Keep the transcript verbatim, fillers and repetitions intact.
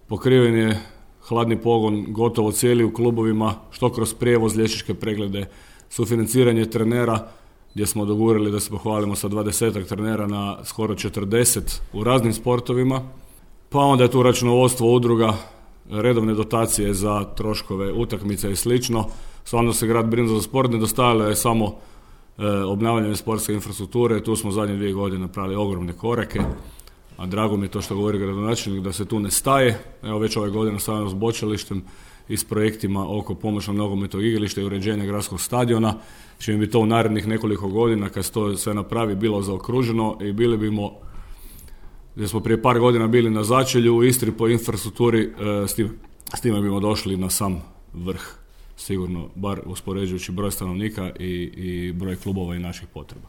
pokriven je hladni pogon gotovo cijeli u klubovima, što kroz prijevoz, liječničke preglede, sufinanciranje trenera, gdje smo dogurali da se pohvalimo sa dvadesetak trenera na skoro četrdeset u raznim sportovima. Pa onda je tu računovodstvo udruga, redovne dotacije za troškove utakmice i slično. Stvarno se grad brine za sport, nedostajalo je samo e, obnavljanje sportske infrastrukture. Tu smo zadnje dvije godine napravili ogromne korake, a drago mi je to što govori gradonačelnik da se tu ne staje. Evo već ove godine stavljamo s bočalištem i s projektima oko pomoćnog nogometnog igrališta i uređenja gradskog stadiona, čim bi to u narednih nekoliko godina kad se to sve napravi bilo zaokruženo i bili bimo, gdje smo prije par godina bili na začelju u Istri po infrastrukturi, s time, s time bimo došli na sam vrh, sigurno, bar uspoređujući broj stanovnika i, i broj klubova i naših potreba.